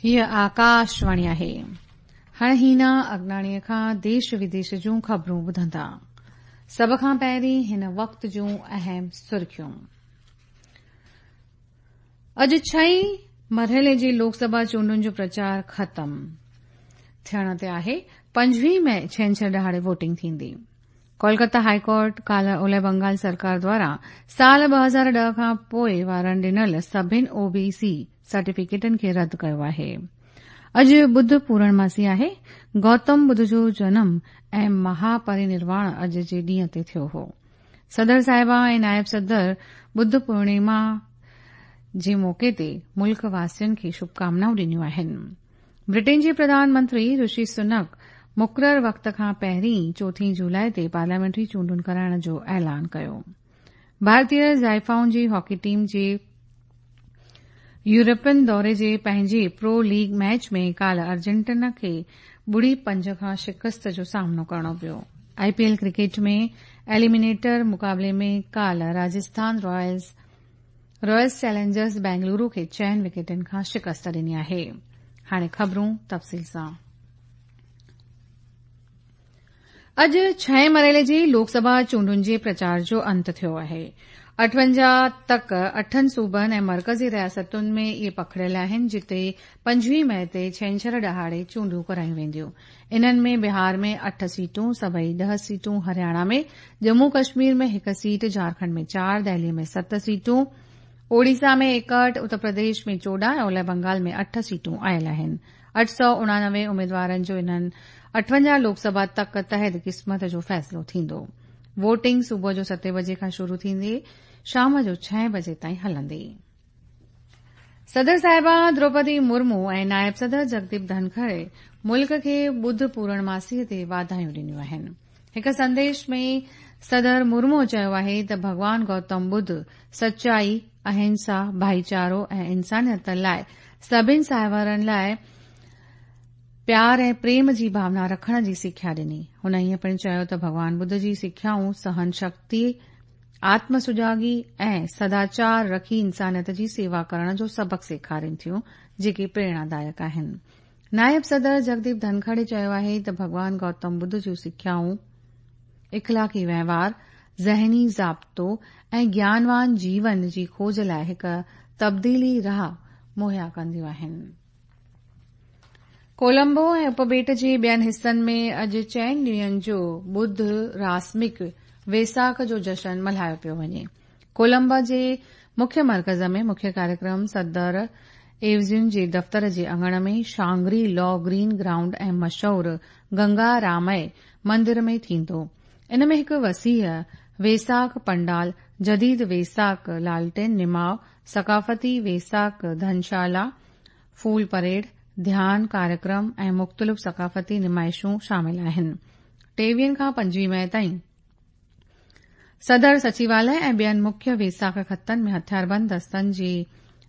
هيء آڪاشواڻي آهي. هاڻ هينا اگناڻيء کان ديش وديش جون خبرون ٻڌندا. سڀ کان پهرين هن وقت جون اهم سرخيون. اڄ ڇهين مرحلي جي لوڪ سڀا چونڊن جو پرچار ختم ٿيڻ تي آهي. 25 مئي ڇنڇر ڏهاڙي ووٽنگ ٿيندي. ڪولڪتا هاء ڪورٽ ڪالهه اولهه بنگال سرڪار دواران سال 2010 کان پوء وارن ڏنل سڀن او بي سي سرٽيفڪيٽن کي رد ڪيو آهي. اڄ ٻڌ پورڻماسي آهي. گوتم ٻڌ جو جنم ۽ مها پرينرواڻ اڄ جي ڏينهن تي ٿيو هو. صدر صاحبه ۽ نائب صدر ٻڌ پورڻيما جي موقعي تي ملڪ واسين کي شڀڪامنائون ڏنيون آهن. برٽين جي پرڌان منتري رشي سنڪ مقرر وقت کان پهرين چوٿين جولاء تي پارليامينٽري چونڊن ڪرائڻ جو اعلان ڪيو. ڀارتي زائفائن جي هاڪي ٽيم جي يورپين دوري جي پنهنجي پرو ليگ ميچ ۾ ڪالهه ارجنٽينا کي ٻڙي پنج کان شڪست جو سامنو ڪرڻو پيو. آء پي ايل ڪرڪيٽ ۾ ايليمينيٽر مقابلي ۾ ڪالهه Rajasthan Ryles Ryles Challengers Bengaluru کي چئن وڪيٽن کان شڪست ڏني آهي. هاڻي خبرون تفصيل سان. اڄ ڇهين مرحلي جي لوڪ سڀا چونڊن جي پرچار جو انت ٿيو آهي. 58 تڪ اٺن صوبن ۽ مرڪزي رياستن ۾ اهي پکڙيل آهن جتي 25 مئي تي ڇنڇر ڏهاڙي چونڊون ڪرايون وينديون. انهن ۾ بهار ۾ اٺ سيٽون، سڀئي ڏهه سيٽون هرياڻا ۾، ڄمون ڪشمير ۾ هڪ سيٽ، جهارکنڊ ۾ چار، دهلي ۾ ست سيٽون، اوڙيسا ۾ 61، اتر پرديش ۾ 14 ۽ اولهه بنگال ۾ اٺ سيٽون آيل آهن. 889 اميدوارن جو انهن 58 لوڪ سڀا تڪ تحت قسمت جو فيصلو ٿيندو. ووٽنگ صبح جو ستين بجي کان شروع ٿيندي شام جو ڇهين بجي تائين هلندي. صدر صاحبه دروپدي مرمو ۽ نائب صدر جگديپ ڌنکڙ ملڪ کي ٻڌ پورڻماسي تي واڌايون ڏنيون آهن. هڪ سنديش ۾ صدر مرمو چيو آهي ته ڀڳوان گوتم ٻڌ سچائي، اهنسا، ڀائيچارو ۽ انسانيت لاء سڀن ساهوارن لاء پيار ۽ پريم جي ڀاونا رکڻ جي سکيا ڏني. هن ائين پڻ چيو ته ڀڳوان ٻڌ جي سکيائون سهن شڪتي، آتم سجاڳي ۽ سداچار رکي انسانيت جي سيوا ڪرڻ جو سبق سيکارين ٿيون، جيڪي پريرڻادائڪ آهن. نائب صدر جگديپ ڌنکڙ چيو آهي ته ڀڳوان گوتم ٻڌ جون سکيائون اخلاقي وهنوار، ذهني ضابطو ۽ گيانوان جيون جي کوج لاء هڪ تبديلي راهه مهيا ڪنديون آهن. ڪولمبو ۽ اپٻيٽ جي ٻين حصن ۾ اڄ چئن ڏينهن جو ٻڌ راسمڪ ويساک جو جشن ملهايو پيو وڃي. ڪولمبو جي مکيه مرڪز ۾ مکيه ڪاريڪرم صدر ايوزين جي دفتر جي اڱڻ ۾ شانگري لا گرين گرائونڊ ۽ مشهور گنگا رامئي مندر ۾ ٿيندو. ان ۾ هڪ وسيع ويساک پنڊال، جديد ويساک لالٽين نماء، ثقافتي ويساک ڌنشالا، ڦول پريڊ، ڌيان ڪاريڪرم ۽ مختلف ثقافتي نمائشون شامل آهن. ٽيويهن کان 25 مئي تائين صدر سچيواليه ۽ ٻين مکيه ويساک خطن ۾ هٿياربند دستن جي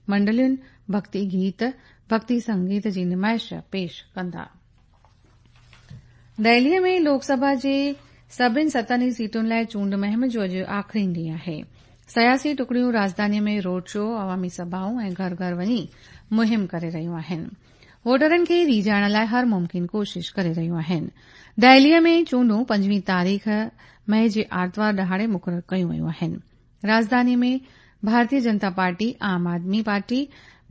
منڊلين ڀڳتي گيت، ڀڳتي سنگيت جي نمائش پيش ڪندا. دهليء ۾ لوڪ سڀا جي سڀن ستن ئي سيٽن لاء چونڊ مهم جو اڄ آخرين ڏينهن آهي. سياسي ٽڪڙيون راڄڌانيء ۾ روڊ شو، عوامي سڀائون ۽ گهر گهر وڃي مهم ڪري رهيون آهن. ووٽرن کي ريجهائڻ لاء هر ممڪن ڪوشش ڪري رهيون آهن. دهليء ۾ چونڊون 25 تاريخ مئي جي آرتوار ڏهاڙي مقرر ڪيون ويون آهن. راڄڌانيء ۾ ڀارتيه جنتا پارٽي، عام آدمي پارٽي،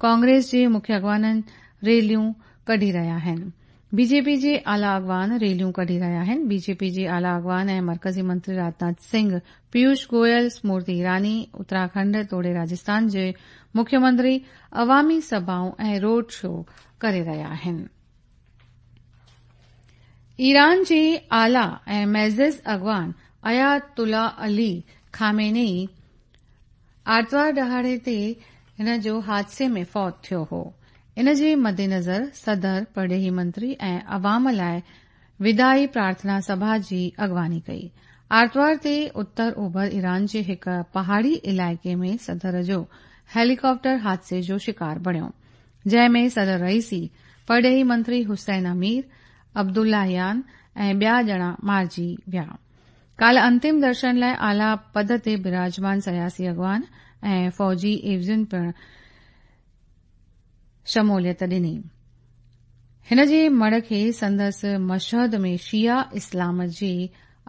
ڪانگريس جي مکيه اڳواڻن ريليون ڪڍي رهيا آهن. بي جي پي جي اعليٰ اڳواڻ ريليون ڪڍي رهيا آهن. بي جي پي جي اعليٰ اڳواڻ ۽ مرڪزي منتري راجناٿ سنگهه، پيوش گويل، سمرتي ايراني، اتراکنڊ توڙي راجسٿان جي مکيه منتري عوامي سڀائون ۽ روڊ شو ڪري رهيا آهن. ايران جي اعليٰ ۽ معزز اڳواڻ آيت الله علي خامنه اي آرتوار ڏهاڙي تي هن جو حادثي ۾ فوت ٿيو هو. ان جي مدنظر صدر، پرڏيهي منتري ۽ عوام لاء وداعي پرارٿنا سڀا جي اڳواڻي ڪئي. آرتوار تي اتر اوڀر ايران جي هڪ پهاڙي علائقي ۾ صدر جو هيليڪاپٽر حادثي جو شڪار بڻيو، جنهن ۾ صدر رئيسي، پرڏيهي منتري حسين امير عبداللهيان ۽ ٻيا ڄڻا مارجي ويا. ڪالهه انتم درشن لاء اعليٰ پد تي براجمان سياسي اڳواڻ ۽ فوجي عيوضين پڻ شموليت ڏني. هن جي مڙهه کي سندس مشهد ۾ شيعه اسلام جي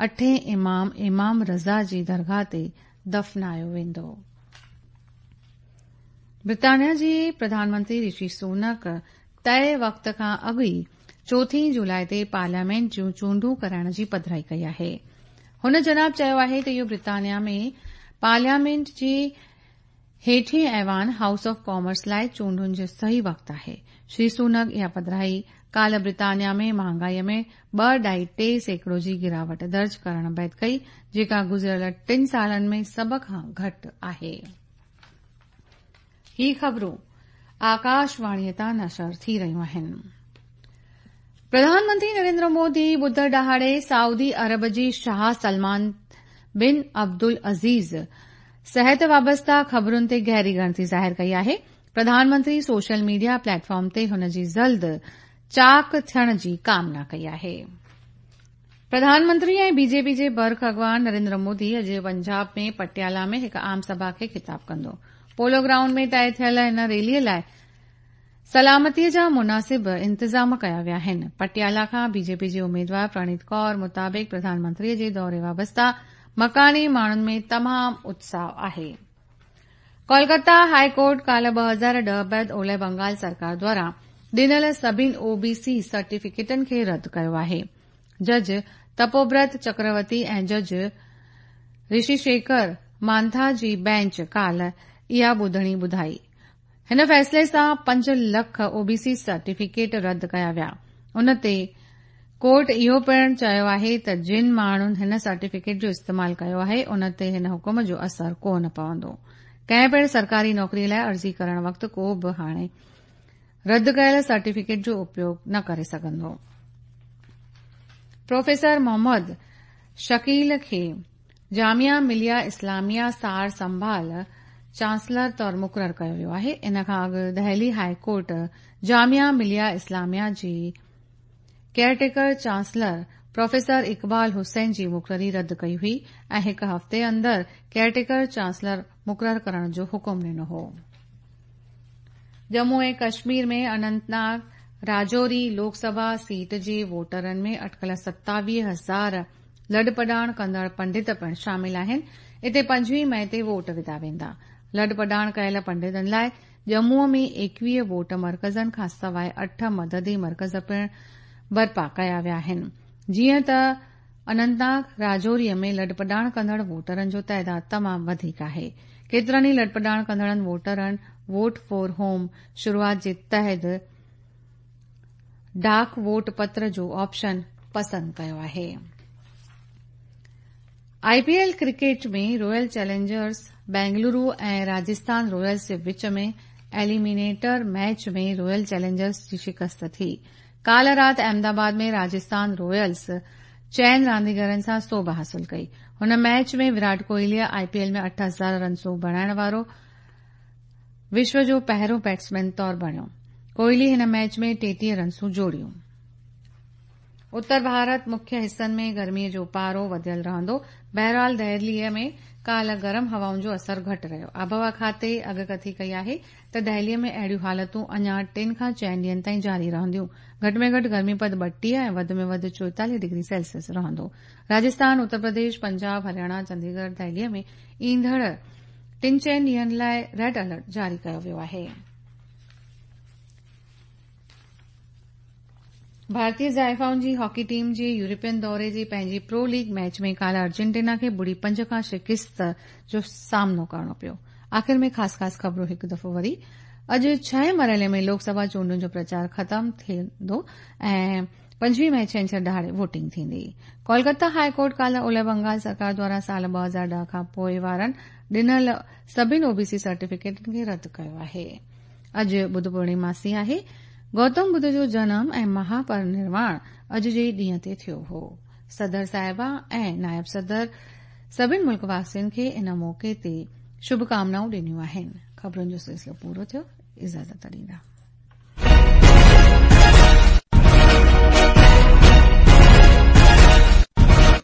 اٺين امام امام رضا جي درگاهه تي دفنايو ويندو. برطانيا جي پرڌان منتري رشي سونڪ طئي وقت کان اڳ ئي چوٿين جولاء تي پارليامينٽ جون چونڊون ڪرائڻ جي پڌرائي ڪئي آهي. هن جناب چيو آهي ته اهو برطانيا ۾ پارليامينٽ جي هيٺين ايوان هائوس آف ڪامنز لاء چونڊن جو صحيح وقت آهي. شري سونڪ اها پڌرائي ڪالهه برطانيا ۾ مهانگائي ۾ ٻه ڏهائي 3% جي گراوٽ درج ڪرڻ بعد ڪئي جيڪا گذريل ٽن سالن ۾ سڀ کان گهٽ آهي. هي خبرون آڪاشواڻي تان نشر ٿي رهيون آهن. پرڌان منتري نريندر مودي ٻڌر ڏهاڙي سعودي عرب جي شاهه سلمان بن عبدالعزيز صحت وابسته خبرن تي گهري ڳڻتي ظاهر ڪئي آهي. Pradhan Mantri social media plate form تي هن جي جلد چاق ٿيڻ جي ڪامنا ڪئي آهي. پرڌان منتري ۽ بي جي پي جي برک اڳواڻ نريندر مودي اڄ پنجاب ۾ پٽيالا ۾ هڪ عام سڀا کي خطاب ڪندو. پولو گرائونڊ ۾ طئي ٿيل هن ريلي لاء سلامتي جا مناسب انتظام ڪيا ويا آهن. پٽيالا کان بي جي پي جي اميدوار پرڻيت ڪور مطابق پرڌان منتري جي دوري وابسته مڪاني ماڻهن ۾ تمام اتساهه آهي. ڪولڪتا هاء ڪورٽ ڪالهه 2010 بعد اولهه بنگال سرڪار دواران ڏنل سڀني او بي سي سرٽيفڪيٽن کي رد ڪيو آهي. جج تپوبرت چڪرورتي ۽ جج رشي شيکر مانٿا جي بينچ ڪالهه اها ٻڌڻي ٻڌائي. هن فيصلي سان 5 لک او بي سي سرٽيفڪيٽ رد ڪيا ويا. ان تي ڪورٽ اهو پڻ چيو آهي ته جن ماڻهن هن سرٽيفڪيٽ جو استعمال ڪيو آهي ان تي هن حڪم جو اثر ڪو نه پوندو. ڪنهن پڻ سرڪاري نوڪري لاء عرضي ڪرڻ وقت ڪو به هاڻي رد ڪيل سرٽيفڪيٽ جو اپيوگ نه ڪري سگهندو. پروفيسر محمد شڪيل کي جامعه مليه اسلاميه سار سنڀال چانسلر طور مقرر ڪيو ويو آهي. ان کان اڳ دهلي هاء ڪورٽ جامعه مليه اسلاميه جي ڪيئرٽيڪر چانسلر پروفيسر اقبال حسين جي مقرري رد ڪئي هئي ۽ هڪ هفتي اندر ڪيئرٽيڪر چانسلر مقرر ڪرڻ جو حڪم ڏنو هو. ڄمون ۽ ڪشمير ۾ اننت ناگ راجوري لوڪ سڀا سيٽ جي ووٽرن ۾ اٽڪل 27 هزار لڏپلاڻ ڪندڙ پنڊت پڻ شامل آهن. اتي 25 مئي تي ووٽ وڌا ويندا. لڏپلاڻ ڪيل پنڊتن لاء ڄمون ۾ 21 ووٽ مرڪزن کان سواء اٺ مددي مرڪز پڻ برپا ڪيا ويا آهن. جيئن ته اننت ناگ راجوري ۾ لڏپلاڻ ڪندڙ ووٽرن جو تعداد تمام وڌيڪ آهي. ڪيترن ئي لڏپلاڻ ڪندڙن ووٽرن ووٽ فار هوم شروعات جي تحت ڊاڪ ووٽ پتر جو آپشن پسند ڪيو آهي. آء P L cricket ۾ royal Challengers Bengaluru ۽ Rajasthan Royals جي وچ ۾ ايليمينيٽر ميچ ۾ رويل چئلينجرز جي شڪست ٿي. ڪالهه رات احمد آباد ۾ راجسٿان رويلز چئن رانديگرن سان سوڀ حاصل ڪئي. هن ميچ ۾ ويرات ڪوهلي آء پي ايل ۾ 8000 رنسون بڻائڻ وارو وشو جو پهريون بيٽسمين طور بڻيو. ڪوهلي هن ميچ ۾ 33 رنسون جوڙيون. اتر ڀارت مکيه حصن ۾ گرمي جو پارو وڌيل رهندو. بهرحال دهلي ۾ ڪالهه گرم هوائن جو اثر گهٽ رهيو. آبهوا کاتي اڳڪٿي ڪئي آهي ته دهلي ۾ اهڙيون حالتون اڃا 3 کان 4 ڏينهن تائين جاري رهنديون. گهٽ ۾ گهٽ گرمي پد 32 ۽ وڌ ۾ وڌ 44 ڊگري سيلسيس رهندو. راجسٿان، اتر پرديش، پنجاب، هرياڻا، چنديڳڙهه، دهلي ۾ ايندڙ 3-4 ڏينهن لاء ريڊ الرٽ جاري ڪيو ويو آهي. ڀارتي زائفائن جي هاڪي ٽيم جي يورپين دوري جي پنهنجي پرو ليگ ميچ ۾ ڪالهه ارجنٽينا کي 0-5 کان شڪست جو سامنو ڪرڻو پيو. آخر ۾ خاص خاص خبرون هڪ دفعو وري. اڄ ڇهين مرحلي ۾ لوڪ سڀا چونڊن جو پرچار ختم ٿيندو ۽ 25 مئي ڇنڇر ڏهاڙي ووٽنگ ٿيندي. ڪولڪتا هاء ڪورٽ ڪالهه اولهه بنگال سرڪار دواران سال 2010 کان پوء وارن ڏنل سڀني او بي سي سرٽيفڪيٽن کي رد ڪيو آهي. اڄ ٻڌ پورڻماسي آهي. گوتم ٻڌ جو جنم ۽ مها پرنرواڻ اڄ جي ئي ڏينهن تي ٿيو هو. صدر صاحبه ۽ نائب صدر سڀني ملڪ واسين کي ان موقعي تي شڀ ڪامنائون ڏنيون آهن. خبرن جو سلسلو پورو ٿيو. اجازت ڏيندا.